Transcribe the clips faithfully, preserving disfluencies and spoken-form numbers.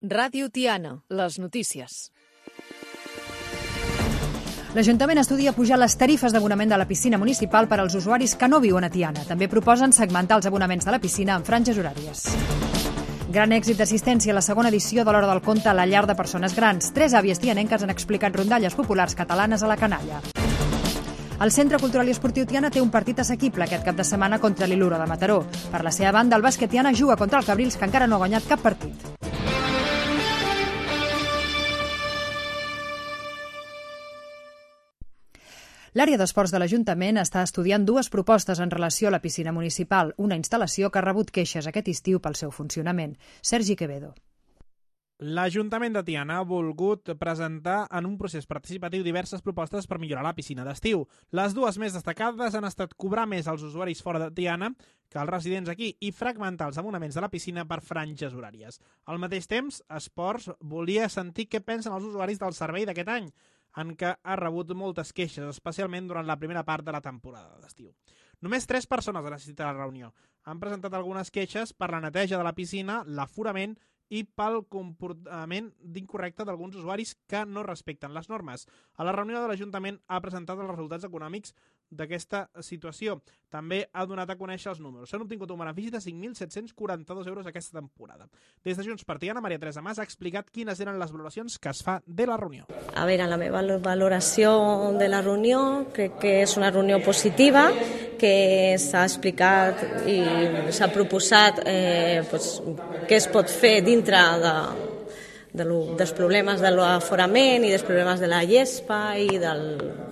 Ràdio Tiana, les notícies. L'Ajuntament estudia pujar les tarifes d'abonament de la piscina municipal per als usuaris que no viuen a Tiana. També proposen segmentar els abonaments de la piscina en franges horàries. Gran èxit d'assistència a la segona edició de l'Hora del Conte a la llar de persones grans. Tres àvies tianenques han explicat rondalles populars catalanes a la canalla. El Centre Cultural i Esportiu Tiana té un partit assequible aquest cap de setmana contra l'Iluro de Mataró. Per la seva banda, el bàsquet Tiana juga contra el Cabrils, que encara no ha guanyat cap partit. L'àrea d'esports de l'Ajuntament està estudiant dues propostes en relació a la piscina municipal, una instal·lació que ha rebut queixes aquest estiu pel seu funcionament. Sergi Quevedo. L'Ajuntament de Tiana ha volgut presentar en un procés participatiu diverses propostes per millorar la piscina d'estiu. Les dues més destacades han estat cobrar més als usuaris fora de Tiana que als residents aquí i fragmentar els abonaments de la piscina per franges horàries. Al mateix temps, Esports volia sentir què pensen els usuaris del servei d'aquest any, en què ha rebut moltes queixes, especialment durant la primera part de la temporada d'estiu. Només tres persones han assistit a la reunió. Han presentat algunes queixes per la neteja de la piscina, l'aforament i pel comportament d'incorrecte d'alguns usuaris que no respecten les normes. A la reunió de l'Ajuntament ha presentat els resultats econòmics d'aquesta situació. També ha donat a conèixer els números. S'han obtingut un benefici de cinc mil set-cents quaranta-dos euros aquesta temporada. Des de Junts per Tiana, Maria Teresa Mas ha explicat quines eren les valoracions que es fa de la reunió. A veure, la meva valoració de la reunió crec que és una reunió positiva, que s'ha explicat i s'ha proposat eh, pues, què es pot fer dintre de, de lo, dels problemes de l'aforament i dels problemes de la llespa i, del,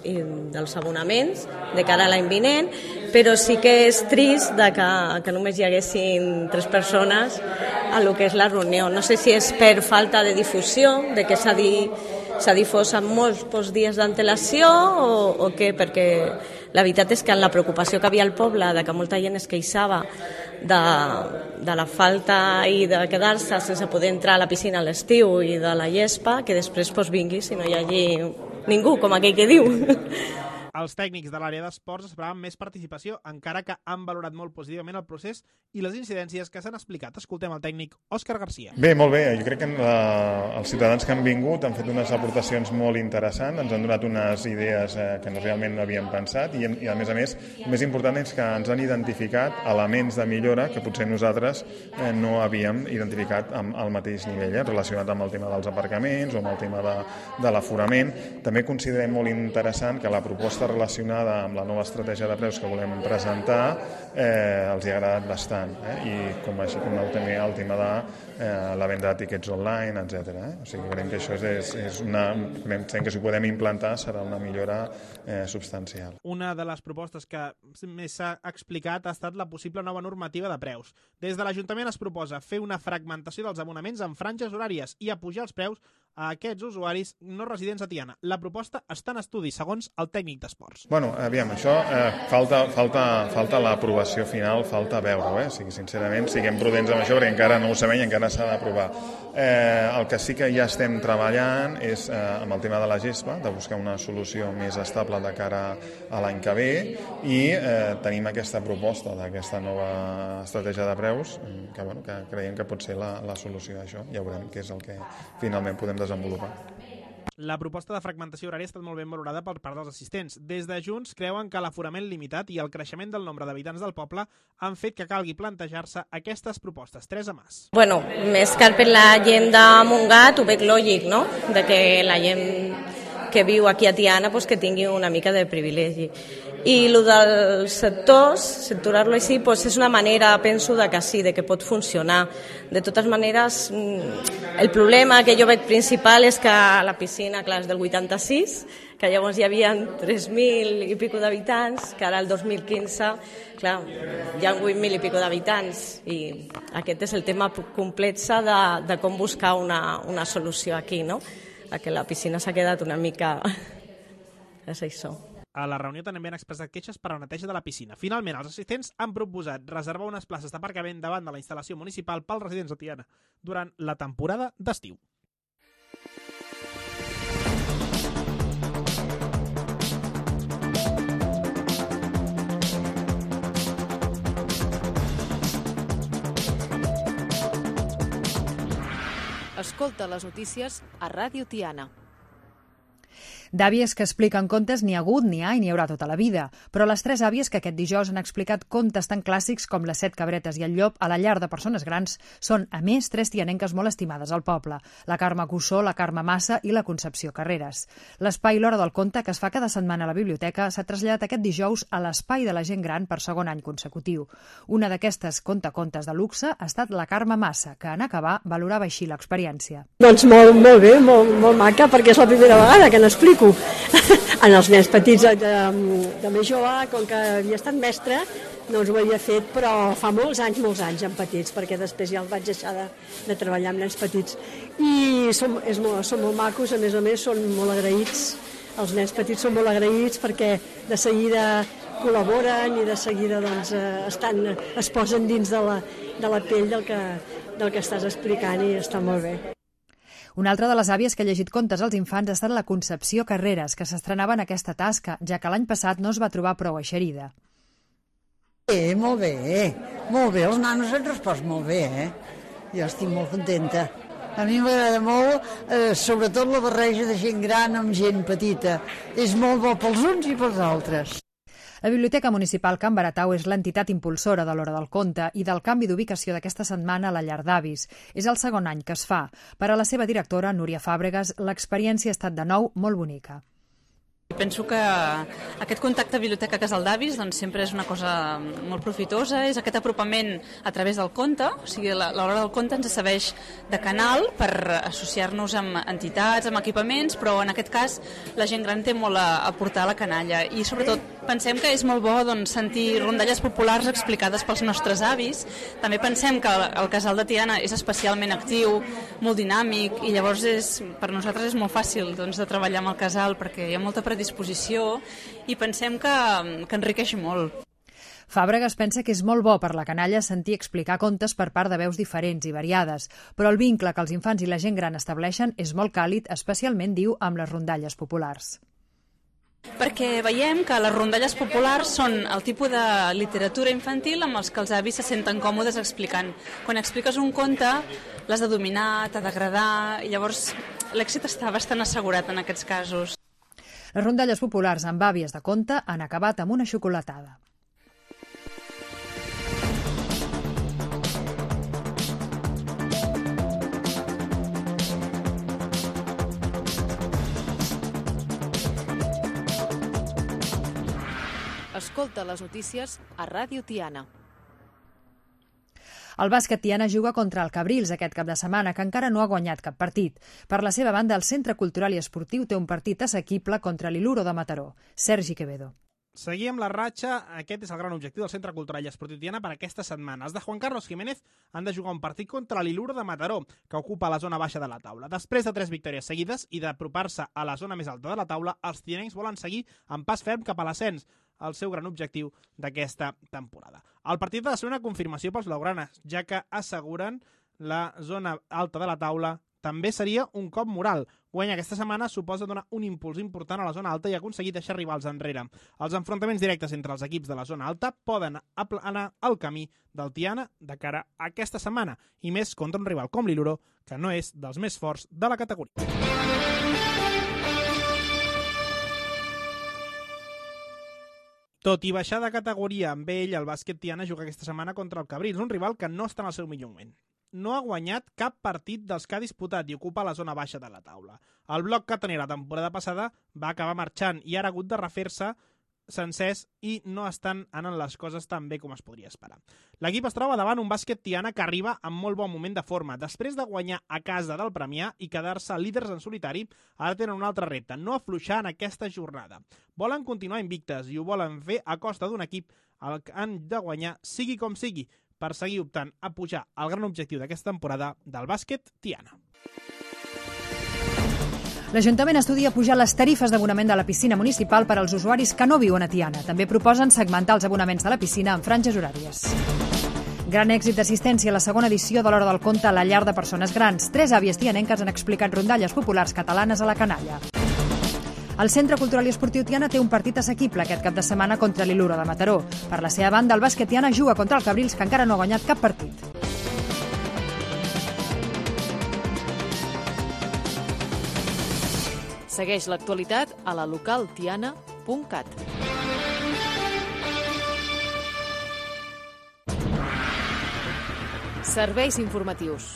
i dels abonaments de cara a l'any vinent, però sí que és trist de que, que només hi haguessin tres persones a lo que és la reunió. No sé si és per falta de difusió, de que s'ha dit s'ha difós amb molts pocs dies d'antelació o, o què, perquè la veritat és que en la preocupació que havia al poble de que molta gent es queixava de, de la falta i de quedar-se sense poder entrar a la piscina a l'estiu i de la llespa, que després pues, vingui si no hi hagi ningú, com aquell que diu. Els tècnics de l'àrea d'esports esperaven més participació, encara que han valorat molt positivament el procés i les incidències que s'han explicat. Escoltem el tècnic Òscar Garcia. Bé, molt bé. Jo crec que la, els ciutadans que han vingut han fet unes aportacions molt interessants, ens han donat unes idees eh, que realment no havíem pensat i, i a més a més, el més important és que ens han identificat elements de millora que potser nosaltres eh, no havíem identificat amb, al mateix nivell, eh, relacionat amb el tema dels aparcaments o amb el tema de, de l'aforament. També considerem molt interessant que la proposta relacionada amb la nova estratègia de preus que volem presentar eh, els hi ha agradat bastant eh? I com així com el tema, el tema de eh, la venda de tiquets online, etcètera. Eh? O sigui, creiem que això és, és una... Creiem que si ho podem implantar serà una millora eh, substancial. Una de les propostes que més s'ha explicat ha estat la possible nova normativa de preus. Des de l'Ajuntament es proposa fer una fragmentació dels abonaments en franges horàries i apujar els preus a aquests usuaris no residents a Tiana. La proposta està en estudi, segons el tècnic d'esports. Bueno, aviam, això eh, falta, falta, falta l'aprovació final, falta veure-ho, eh? O sigui, sincerament, siguem prudents amb això perquè encara no ho sabem i encara s'ha d'aprovar. Eh, el que sí que ja estem treballant és eh, amb el tema de la gespa, de buscar una solució més estable de cara a l'any que ve i eh, tenim aquesta proposta d'aquesta nova estratègia de preus que, bueno, que creiem que pot ser la, la solució d'això. Ja veurem què és el que finalment podem desenvolupar. La proposta de fragmentació horària ha estat molt ben valorada per part dels assistents. Des de Junts creuen que l'aforament limitat i el creixement del nombre d'habitants del poble han fet que calgui plantejar-se aquestes propostes. Teresa Mas. Bueno, més que per la gent de Montgat ho veig lògic, no? De que la gent que viu aquí a Tiana pues, que tingui una mica de privilegi. I el dels sectors, sectorar-lo així, pues és una manera, penso, de que sí, de que pot funcionar. De totes maneres, el problema que jo veig principal és que la piscina, clar, és del vuitanta-sis, que llavors hi havia tres mil i pico d'habitants, que ara el dos mil quinze, clar, hi ha vuit mil i pico d'habitants, i aquest és el tema complex de, de com buscar una, una solució aquí, no? A que la piscina s'ha quedat una mica... és això. A la reunió també han expressat queixes per a la neteja de la piscina. Finalment, els assistents han proposat reservar unes places d'aparcament davant de la instal·lació municipal pels residents de Tiana durant la temporada d'estiu. Escolta les notícies a Ràdio Tiana. D'àvies que expliquen contes n'hi ha hagut, n'hi ha i n'hi haurà tota la vida, però les tres àvies que aquest dijous han explicat contes tan clàssics com Les set cabretes i el llop a la llar de persones grans són, a més, tres tianenques molt estimades al poble, la Carme Cussó, la Carme Massa i la Concepció Carreras. L'espai L'Hora del Conte, que es fa cada setmana a la biblioteca, s'ha traslladat aquest dijous a l'Espai de la Gent Gran per segon any consecutiu. Una d'aquestes contacontes de luxe ha estat la Carme Massa, que en acabar valorava així l'experiència. Doncs molt, molt bé, molt, molt maca, perquè és la primera vegada que n'explico. En els nens petits de, de més jove, com que havia estat mestre, no us ho havia fet, però fa molts anys, molts anys en petits, perquè després ja el vaig deixar de, de treballar amb nens petits. I som, és molt, són molt macos, a més a més són molt agraïts, els nens petits són molt agraïts perquè de seguida col·laboren i de seguida doncs, estan, es posen dins de la, de la pell del que, del que estàs explicant i està molt bé. Una altra de les àvies que ha llegit contes als infants ha estat la Concepció Carreras, que s'estrenava en aquesta tasca, ja que l'any passat no es va trobar prou eixerida. Eh, molt bé, molt bé, els nanos han respost molt bé, eh? Jo estic molt contenta. A mi m'agrada molt, eh, sobretot la barreja de gent gran amb gent petita. És molt bo pels uns i pels altres. La Biblioteca Municipal Can Baratau és l'entitat impulsora de l'Hora del Conte i del canvi d'ubicació d'aquesta setmana a la llar d'avis. És el segon any que es fa. Per a la seva directora, Núria Fàbregas, l'experiència ha estat de nou molt bonica. Penso que aquest contacte biblioteca-casal d'avis doncs, sempre és una cosa molt profitosa, és aquest apropament a través del conte, o sigui, l'Hora del Conte ens serveix de canal per associar-nos amb entitats, amb equipaments, però en aquest cas la gent gran té molt a aportar a la canalla i sobretot pensem que és molt bo doncs, sentir rondalles populars explicades pels nostres avis. També pensem que el casal de Tiana és especialment actiu, molt dinàmic i llavors és, per nosaltres és molt fàcil doncs, de treballar amb el casal perquè hi ha molta predisposició i pensem que, que enriqueix molt. Fàbregas pensa que és molt bo per la canalla sentir explicar contes per part de veus diferents i variades, però el vincle que els infants i la gent gran estableixen és molt càlid, especialment, diu, amb les rondalles populars. Perquè veiem que les rondalles populars són el tipus de literatura infantil amb els que els avis se senten còmodes explicant. Quan expliques un conte l'has de dominar, t'ha d'agradar, i llavors l'èxit està bastant assegurat en aquests casos. Les rondalles populars amb àvies de conte han acabat amb una xocolatada. Escolta les notícies a Ràdio Tiana. El bàsquet Tiana juga contra el Cabrils aquest cap de setmana, que encara no ha guanyat cap partit. Per la seva banda, el Centre Cultural i Esportiu té un partit assequible contra l'Iluro de Mataró. Sergi Quevedo. Seguir amb la ratxa, aquest és el gran objectiu del Centre Cultural i Esportiu Tiana per aquestes setmanes. Els de Juan Carlos Jiménez han de jugar un partit contra l'Iluro de Mataró, que ocupa la zona baixa de la taula. Després de tres victòries seguides i d'apropar-se a la zona més alta de la taula, els tianencs volen seguir amb pas ferm cap a l'ascens, el seu gran objectiu d'aquesta temporada. El partit ha de ser una confirmació pels blaugranes, ja que asseguren la zona alta de la taula també seria un cop moral. Guanyar aquesta setmana suposa donar un impuls important a la zona alta i aconseguir deixar rivals enrere. Els enfrontaments directes entre els equips de la zona alta poden aplanar el camí del Tiana de cara a aquesta setmana, i més contra un rival com l'Iluro, que no és dels més forts de la categoria. Tot i baixar de categoria amb ell, el bàsquet Tiana juga aquesta setmana contra el Cabrils, un rival que no està en el seu millor moment. No ha guanyat cap partit dels que ha disputat i ocupa la zona baixa de la taula. El bloc que tenia la temporada passada va acabar marxant i ara ha hagut de refer-se sencers i no estan anant les coses tan bé com es podria esperar. L'equip es troba davant un bàsquet Tiana que arriba en molt bon moment de forma. Després de guanyar a casa del Premià i quedar-se líders en solitari, ara tenen un altre repte, no afluixar en aquesta jornada. Volen continuar invictes i ho volen fer a costa d'un equip al que han de guanyar sigui com sigui, per seguir optant a pujar al gran objectiu d'aquesta temporada del bàsquet Tiana. L'Ajuntament estudia pujar les tarifes d'abonament de la piscina municipal per als usuaris que no viuen a Tiana. També proposen segmentar els abonaments de la piscina en franges horàries. Gran èxit d'assistència a la segona edició de l'Hora del Conte a la llar de persones grans. Tres àvies tianenques han explicat rondalles populars catalanes a la canalla. El Centre Cultural i Esportiu Tiana té un partit assequible aquest cap de setmana contra l'Iluro de Mataró. Per la seva banda, el bàsquet Tiana juga contra el Cabrils, que encara no ha guanyat cap partit. Segueix l'actualitat a la local tiana punt cat. Serveis informatius.